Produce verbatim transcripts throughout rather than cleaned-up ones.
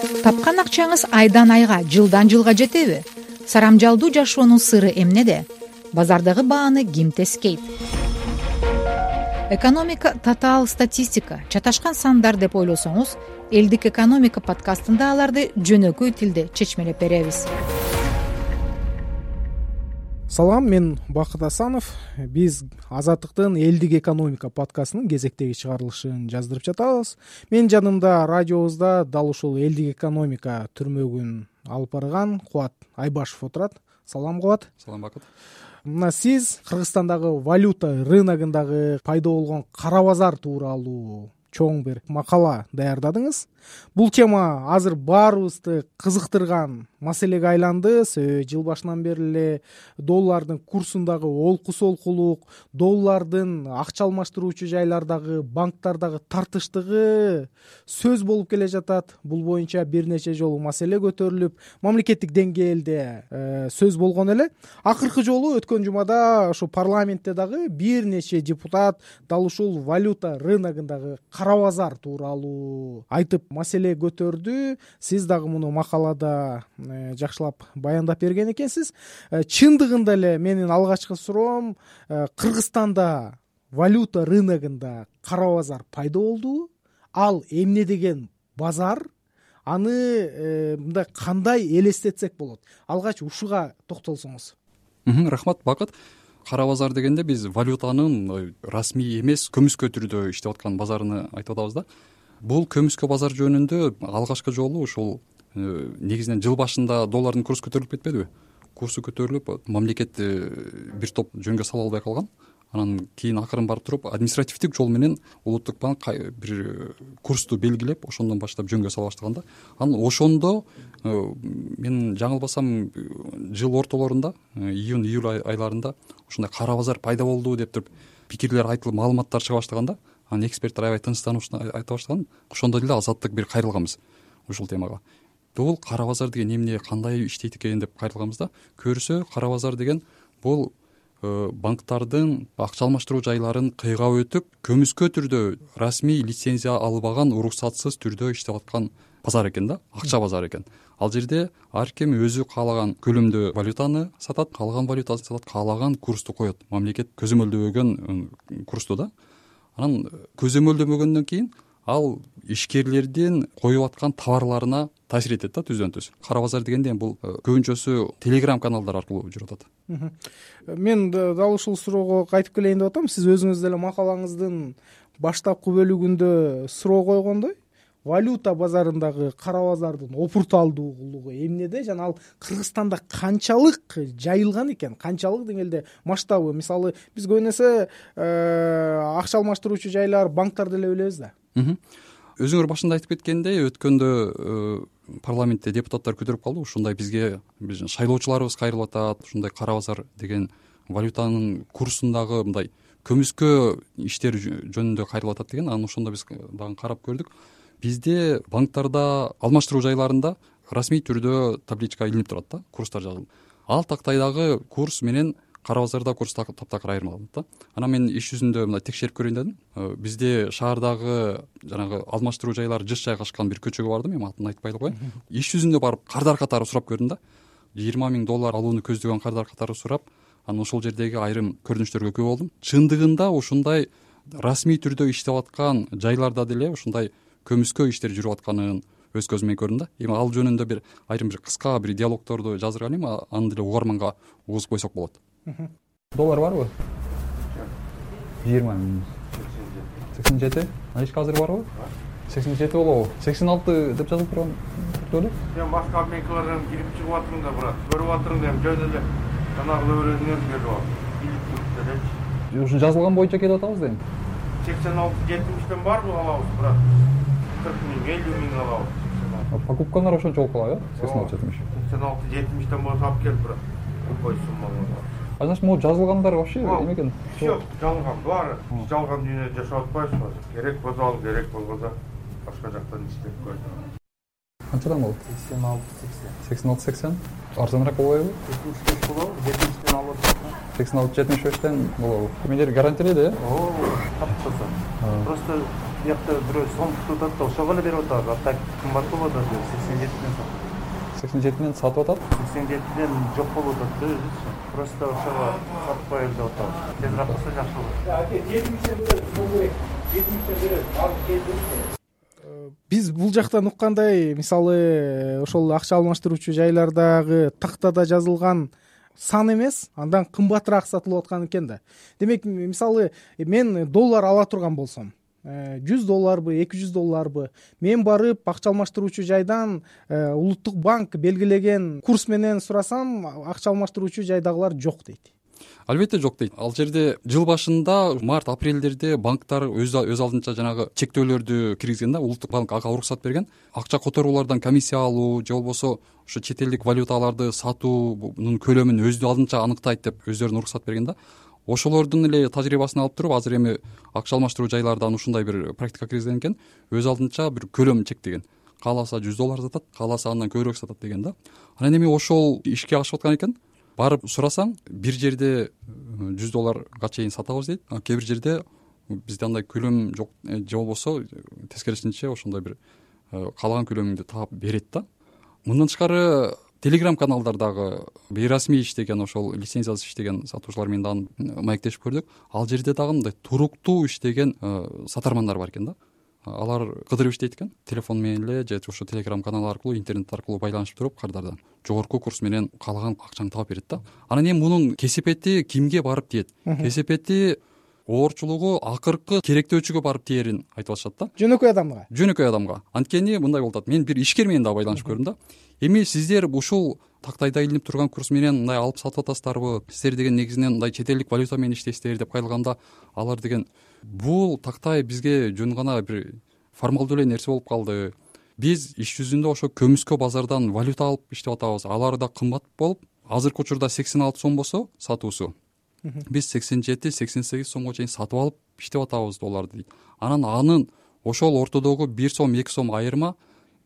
Тапкан акчаңыз айдан айга, жылдан жылга жетеби? Сарамжалдуу жашоонун сыры эмнеде? Базардагы бааны ким тескейт? Экономика татаал статистика, чаташкан сандар деп ойлосоңуз, элдик экономика подкастында аларды жөнөкөй тилде чечмелеп беребиз. Салам, мен Бакыт Асанов. Биз Азаттыктын элдик экономика подкастынын кезектеги чыгарылышын жаздырып жатабыз. Мен жанымда радиобузда дал ушул элдик экономика түрмөгүн алып барган Кубат Айбашев отурат. Салам, Кубат. Салам, Бакыт. Мына сиз Кыргызстандагы валюта рыногундагы пайда болгон кара базар тууралуу чоң бир макала даярдадыңыз. Бул тема азыр баарыбызды кызыктырган маселеге айланды. Себеби жыл башынан бери эле доллардын курсундагы олку-солкулук, доллардын акча алмаштыруучу жайлардагы, банктардагы тартыштыгы сөз болуп келе жатат. Бул боюнча бир нече жолу маселе көтөрүлүп, мамлекеттик деңгээлде э, сөз болгон эле. Акыркы жолу өткөн жумада ошо парламентте дагы бир нече депутат дал ушул валюта рыногундагы кара базар тууралуу айтып маселе көтөрдү. Сиз дагы муну макалада э, жакшылап баяндап берген экенсиз. Э, чындыгында эле менин алгачкы суроом, э, Кыргызстанда валюта рыногунда кара базар пайда болдубу? Ал эмне деген базар? Аны э, мындай кандай элестетсек болот? Алгач ушуга токтолсоңуз. Рахмат, Бакыт. Кара базар дегенде биз валютанын расмий эмес, көмүскө түрдө иштеп аткан базарыны айтып атабыз да. Бул көмүскө базар жөнүндө алгачкы жолу ушул негизинен жыл башында доллардын курсу көтөрүлүп кетпедиби? Курсу көтөрүлүп, мамлекет бир топ жөнгө сала албай калган. Анан кийин акырын барып туруп административдик жол менен улуттук банк бир курсту белгилеп, ошондон баштап жөнгө сала баштаган да. Анан ошондо мен жаңылбасам жыл ортолорунда, июнь июль айларында ушундай кара базар пайда болду деп туруп пикирлер айтылып, маалыматтар чыга баштаганда, анан эксперттер аябай тынчтанып айта баштаган. Ошондо деле Азаттык бир кайрылганбыз ушул темага. Бул кара базар деген эмне, кандай иштейт экен деп кайрылганбыз да. Көрсө, кара базар деген бул банктардын акча алмаштыруу жайларын кыйгап өтүп, көмүскө түрдө расмий лицензия албаган, уруксатсыз түрдө иштеп аткан базар экен да, акча базары экен. Ал жерде ар ким өзү каалаган көлөмдө валютаны сатат, каалаган валютаны сатат, каалаган курсту коет. Мамлекет көзөмөлдөгөн курсту да. Анан көзөмөлдөмөгөндөн кийин ал ишкерлердин коюп аткан товарларына таасир этет да, түздөн түз. Кара базар дегенде бул көбүнчөсү телеграм каналдар аркылуу жүрүп атат. Мен дал ушул суроого кайтып келейин деп атам. Сиз өзүңүз деле макалаңыздын баштапкы бөлүгүндө суроо койгондой, валюта базарындагы кара базардын опурталдуулугу эмнеде жана ал Кыргызстанда канчалык жайылган экен, канчалык деңгээлде масштабы? Мисалы, биз көбүнесе акча алмаштыруучу жайлар, банктар деле билебиз да. Өзүңөр башында айтып кеткендей, өткөндө парламентте депутаттар көтөрүп калды. Ушундай бизге биздин шайлоочуларыбыз кайрылып атат. Ушундай кара базар деген валютанын курсундагы мындай көмүскө иштер жөнүндө кайрылып атат деген. Анан ошондо биз дагы карап көрдүк. Бизде банктарда, алмаштыруу жайларында расмий түрдө табличка илинип турат да, курстар жазылып. Ал тактайдагы курс менен кара базарда курс таптакыр айырмаланат да. Анан мен иш жүзүндө мындай текшерип көрөйүн дедим. Бизде шаардагы жанагы алмаштыруу жайлары жыш жайгашкан бир көчөгө бардым, эми атын айтпай эле коеюн. Иш жүзүндө барып кардар катары сурап көрдүм да. жыйырма миң доллар алууну көздөгөн кардар катары сурап, анан ошол жердеги айрым көрүнүштөргө күбө болдум. Чындыгында ушундай расмий түрдө иштеп аткан жайларда деле ушундай көмүскө иштер жүрүп атканын өз көзүм менен көрдүм да. Эми ал жөнүндө бир айрым бир кыска бир диалогторду жаздырган эми, аны деле угарманга угузуп койсок болот. Доллар барбы? жыйырма миң. сексен жети. Анычка азыр барбы? сексен жети болобу? сексен алты деп жазылып турган эле. Мен башка обменкалардан кирип чыгып атырмын да, брат. Көрүп атырмын да, жөн эле жанагы өрөөнөр берип алып. Билип эле. Ушун жазылган боюнча келип атабыз дейм. сексен алты жетимиштен барбы алабыз, брат? кырк миң, элүү миң алабыз. Покупкалар ошончо болуп калат, э? сексен алты жетимиш. сексен алты жетимиштен болсо алып кел, брат. Любой сумманы. А значит, могу жазылгандар вообще эме экен? Всё, жалган баары. Биз жалган дүйнөдө жашап атпайбыз азыр. Керек болсо ал, керек болбосо башка жактан иштеп койдук. Канчадан болот? сексен алты сексен. сексен алты сексен. Арзаныраак болбойбу? жетимиш беш болобу? жетимиштен алып атат. сексен алты жетимиш бештен болобу? Эмелер гарантиялейт, э? Оо, таптаса. Просто биякта бирөө сом тутуп атат да ошого эле берип атабыз. А так кымбат болуп атат, сексен жетиден сатып. сексен жетиден сатып атат. сексен жетиден жок болуп атат да өзүчү. Просто ошого сатып коелу деп атабыз. Тезирээк кылса жакшы болот. жетимиштен берет, сом керек. жетимиштен берет, алып келдик. Биз бул жактан уккандай, мисалы ошол акча алмаштыруучу жайлардагы тактада жазылган сан эмес, андан кымбатыраак сатылып аткан экен да. Демек, мисалы мен доллар ала турган болсом, жүз долларбы, эки жүз долларбы, мен барып акча алмаштыруучу жайдан улуттук банк белгилеген курс менен сурасам, акча алмаштыруучу жайдагылар жок дейт. Албетте жок дейт. Ал жерде жыл башында март апрелдерде банктар өз өз алдынча жанагы чектөөлөрдү киргизген да, улуттук банк ага уруксат берген. Акча которуулардан комиссия алуу же болбосо ошо чет элдик валюталарды сатуунун көлөмүн өз алдынча аныктайт деп өздөрүнө уруксат берген да. Ошолордун эле тажрыйбасын алып туруп, азыр эми акча алмаштыруу жайлардан ушундай бир практика киргизген экен. Өз алдынча бир көлөм чектеген. Кааласа жүз доллар сатат, кааласа андан көбүрөөк сатат деген да. Анан эми ошол ишке ашып аткан экен. Барып сурасаң, бир жерде жүз долларга чейин сатабыз дейт, а кээ бир жерде бизде андай көлөм жок же болбосо тескерисинче ошондой бир каалаган көлөмүңдү таап берет да. Мындан тышкары Telegram каналдардагы бейрасмий иштеген, ошол лицензиясыз иштеген сатуучулар менен дагы маектешип көрдүк. Ал жерде дагы мындай туруктуу иштеген сатармандар бар экен да. Алар кыдырып иштейт экен, телефон менен эле же ошо Telegram канал аркылуу, интернет аркылуу байланышып туруп, кырдардан жогорку курс менен каалаган акчаңды таап берет да. Анан эми мунун кесепети кимге барып тиет? Кесепети оорчулугу акыркы керектөөчүгө барып тиерин айтып атышат да. Жөнөкөй адамга. Жөнөкөй адамга. Анткени мындай болуп атат. Мен бир ишкер менен дагы байланышып көрдүм да. Эми сиздер ушул тактайда илинип турган курс менен мындай алып сатып атасыздарбы? Сиздер деген негизинен мындай чет элдик валюта менен иштейсиздер деп кайрылганда, алар деген бул тактай бизге жөн гана бир формалдуу эле нерсе болуп калды. Биз иш жүзүндө ошо көмүскө базардан валюта алып иштеп атабыз. Алар да кымбат болуп, азыркы учурда сексен алты сом болсо сатуусу, биз сексен жети сексен сегиз сомго чейин сатып алып иштеп атабыз долларды дейт. Анан анын ошол ортодогу бир сом эки сом айырма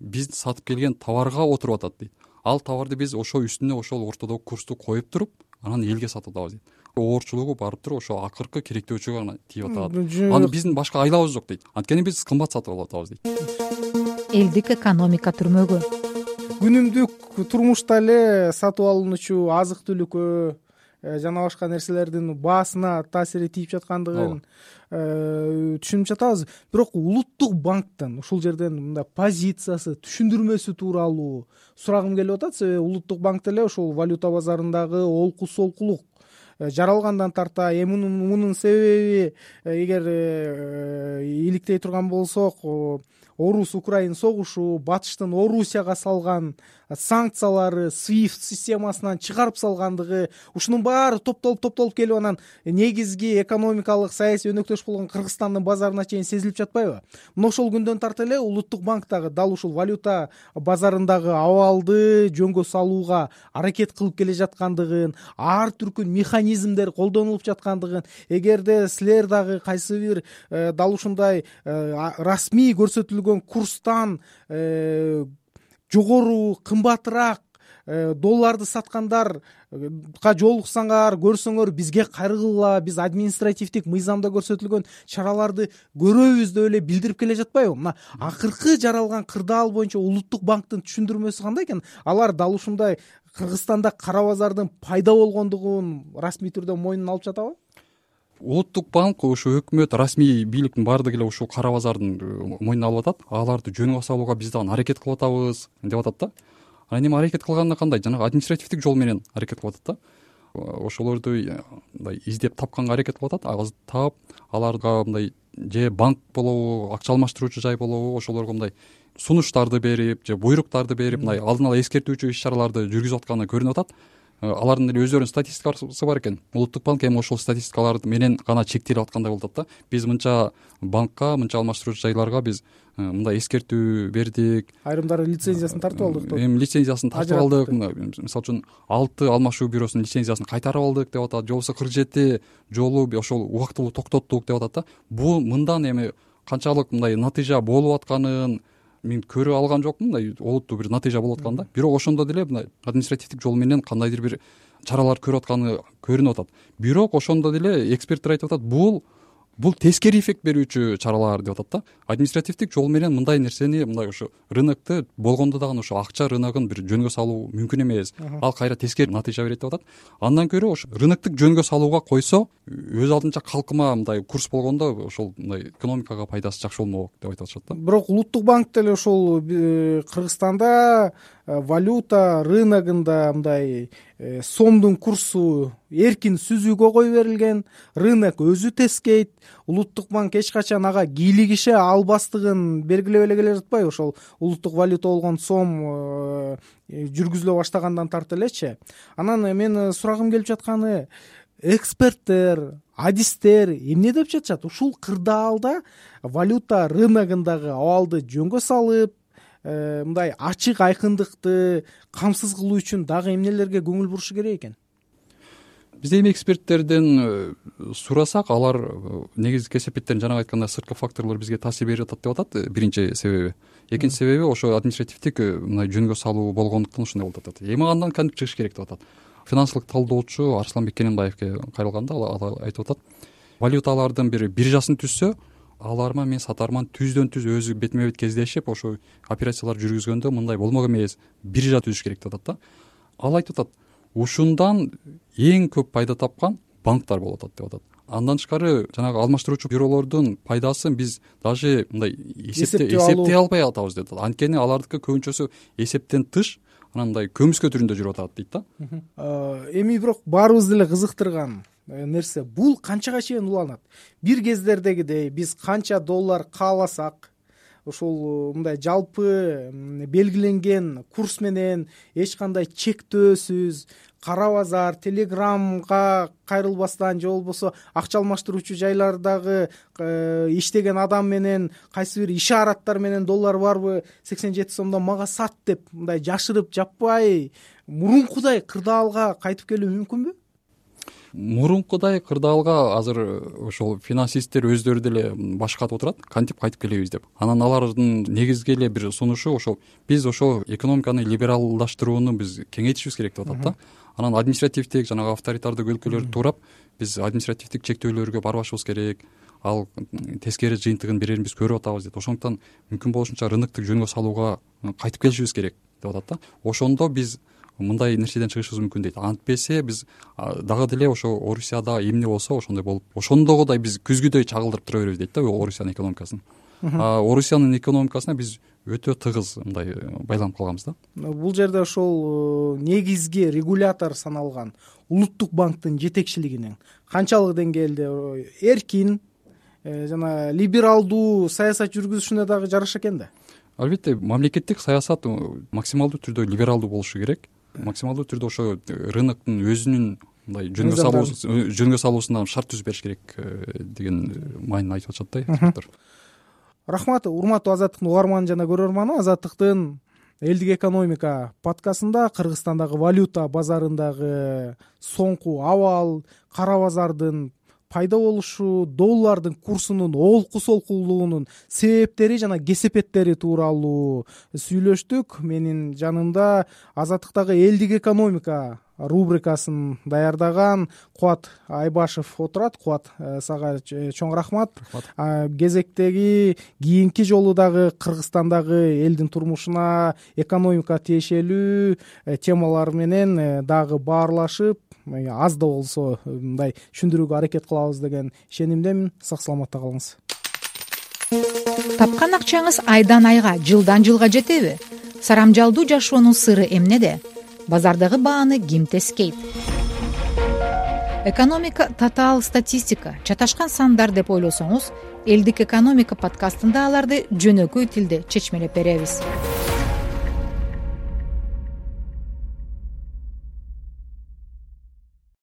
биз сатып келген товарга отуруп атат дейт. Ал товарды биз ошол үстүнө ошол ортодогу курсту коюп туруп, анан элге сатып атабыз дейт. Оорчулугу барып туруп ошо акыркы керектөөчүгө гана тийип атат. Аны биздин башка айлабыз жок дейт. Анткени биз кымбат сатып алып атабыз дейт. Элдик экономика түрмөгү. Күнүмдүк турмушта эле сатып алынуучу азык-түлүккө жана башка нерселердин баасына таасири тийип жаткандыгын түшүнүп жатабыз. Бирок улуттук банктын ушул жерден мындай позициясы, түшүндүрмөсү тууралуу сурагым келип атат. Себеби улуттук банк деле ушул валюта базарындагы олку солкулук жаралгандан тарта, эми мунун себеби эгер иликтей турган болсок, Орус-Украин согушу, батыштын Орусияга салган санкциялары, свифт системасынан чыгарып салгандыгы, ушунун баары топтолуп топтолуп келип анан негизги экономикалык саясий өнөктөш болгон Кыргызстандын базарына чейин сезилип жатпайбы? Мына ошол күндөн тарта эле улуттук банктагы дал ушул валюта базарындагы абалды жөнгө салууга аракет кылып келе жаткандыгын, ар түркүн механизмдер колдонулуп жаткандыгын, эгерде силер дагы кайсы бир дал ушундай расмий көрсөтүлгөн курстан жогору, кымбатыраак долларды саткандарга жолуксаңар, көрсөңөр бизге кайрылгыла, биз административдик мыйзамда көрсөтүлгөн чараларды көрөбүз деп эле билдирип келе жатпайбы? Мына акыркы жаралган кырдаал боюнча улуттук банктын түшүндүрмөсү кандай экен? Алар дал ушундай Кыргызстанда кара базардын пайда болгондугун расмий түрдө мойнуна алып жатабы? Улуттук банк, ушу өкмөт, расмий бийликтин баардыгы эле ушул кара базардын мойнуна алып атат. Аларды жөнгө салууга биз дагы аракет кылып атабыз деп атат да. Анан эми аракет кылганда кандай? Жанагы административдик жол менен аракет кылып атат да. Ошолорду мындай издеп тапканга аракет кылып атат. Ал таап, аларга мындай же банк болобу, акча алмаштыруучу жай болобу, ошолорго мындай сунуштарды берип, же буйруктарды берип, мындай алдын ала эскертүүчү иш-чараларды жүргүзүп атканы көрүнүп атат. Алардын эле өздөрүнүн статистикасы бар экен. Улуттук банк эми ошол статистикалар менен гана чектелип аткандай болуп атат да. Биз мынча банкка, мынча алмаштыруучу жайларга биз мындай эскертүү бердик. Айрымдары лицензиясын тартып алдык деп. Эми лицензиясын тартып алдык. Мисалы үчүн алты алмашуу бюросунун лицензиясын кайтарып алдык деп атат. Же болбосо кырк жети жолу ошол убактылуу токтоттук деп атат да. Бул мындан эми канчалык мындай натыйжа болуп атканын мен көрүп алган жокмун, мындай олуттуу бир натыйжа болуп аткан да. Бирок ошондо деле мындай административдик жол менен кандайдыр бир чаралар көрүп атканы көрүнүп атат. Бирок ошондо деле эксперттер айтып атат, бул бул тескери эффект берүүчү чаралар деп атат да. Административдик жол менен мындай нерсени, мындай ушу рынокты болгондо дагы ошо акча рыногун бир жөнгө салуу мүмкүн эмес. Ал кайра тескери натыйжа берет деп атат. Андан көрө ошо рыноктук жөнгө салууга койсо, өз алдынча калкыма мындай курс болгондо ошол мындай экономикага пайдасы жакшы болмок деп айтып атышат да. Бирок улуттук банк деле ошол Кыргызстанда валюта рыногунда мындай сомдун курсу эркин сүзүүгө кое берилген, рынок өзү тескейт, улуттук банк эч качан ага кийлигише албастыгын белгилеп эле келе жатпайбы? Ошол улуттук валюта болгон сом жүргүзүлө баштагандан тарта элечи. Анан менин сурагым келип жатканы, эксперттер, адистер эмне деп жатышат? Ушул кырдаалда валюта рыногундагы абалды жөнгө салып, мындай ачык айкындыкты камсыз кылуу үчүн дагы эмнелерге көңүл бурушу керек экен? Биз эми эксперттерден сурасак, алар негизги кесепеттерин жанагы айткандай сырткы факторлор бизге таасир берип атат деп атат. Биринчи себеби. Экинчи себеби ошо административдик мындай жөнгө салуу болгондуктан ушундай болуп атат. Эми андан кантип чыгыш керек деп атат. Финансылык талдоочу Арсланбек Кененбаевге кайрылганда ал айтып атат, валюталардын бир биржасын түзсө, аларма мен сатарман түздөн түз өзү бетме бет кездешип ошо операциялар жүргүзгөндө мындай болмок эмес, биржа түзүш керек деп атат да. Ал айтып атат, ушундан эң көп пайда тапкан банктар болуп атат деп атат. Андан тышкары жанагы алмаштыруучу бюролордун пайдасын биз даже мындай эсептей албай атабыз деп атат. Анткени алардыкы көбүнчөсү эсептен тыш, анан мындай көмүскө түрүндө жүрүп атат дейт да. Эми бирок баарыбызды эле кызыктырган нерсе, бул канчага чейин уланат? Бир кездердегидей биз канча доллар кааласак, ошол мындай жалпы белгиленген курс менен эч кандай чектөөсүз, кара базар, телеграмга кайрылбастан же болбосо акча алмаштыруучу жайлардагы иштеген адам менен кайсы бир ишараттар менен доллар барбы сексен жети сомдон мага сат деп мындай жашырып жаппай мурункудай кырдаалга кайтып келүү мүмкүнбү? Мурункудай кырдаалга азыр ошол финансисттер өздөрү деле баш катып отурат, кантип кайтып келебиз деп. Анан алардын негизги эле бир сунушу ошол биз ошол экономиканы либералдаштырууну биз кеңейтишибиз керек деп атат да. Анан административдик жанагы авторитардык өлкөлөрдү туурап биз административдик чектөөлөргө барбашыбыз керек. Ал тескери жыйынтыгын берерин биз көрүп атабыз дейт. Ошондуктан мүмкүн болушунча рыноктук жөнгө салууга кайтып келишибиз керек деп атат да. Ошондо биз мындай нерседен чыгышыбыз мүмкүн дейт. Антпесе биз дагы деле ошо Орусияда эмне болсо ошондой болуп, ошондогудай биз күзгүдөй чагылдырып тура беребиз дейт да Орусиянын экономикасын. Орусиянын экономикасына биз өтө тыгыз мындай байланып калганбыз да. Бул жерде ошол негизги регулятор саналган улуттук банктын жетекчилигинин канчалык деңгээлде эркин жана либералдуу саясат жүргүзүшүнө дагы жараша экен да. Албетте, мамлекеттик саясат максималдуу түрдө либералдуу болушу керек. Максималдуу түрдө ошо рыноктун өзүнүн мындай жөнгө салуу жөнгө салуусунан шарт түзүп бериш керек деген маанини айтып атышат да эксперттер. Рахмат, урматтуу Азаттыктын угарманы жана көрөрманы. Азаттыктын элдик экономика подкастында Кыргызстандагы валюта базарындагы соңку абал, кара базардын пайда болушу, доллардын курсунун олку солкулугунун себептери жана кесепеттери тууралуу сүйлөштүк. Менин жанымда Азаттыктагы элдик экономика рубрикасын даярдаган Кубат Айбашев отурат. Кубат, сага чоң рахмат. Кезектеги кийинки жолу дагы Кыргызстандагы элдин турмушуна экономика тиешелүү темалар менен дагы баарлашып, аз да болсо мындай түшүндүрүүгө аракет кылабыз деген ишенимдемин. Сак саламатта калыңыз. Тапкан акчаңыз айдан айга, жылдан жылга жетеби? Сарамжалдуу жашоонун сыры эмнеде? Базардагы бааны ким тескейт? Экономика татаал статистика, чаташкан сандар деп ойлосоңуз, элдик экономика подкастында аларды жөнөкөй тилде чечмелеп беребиз.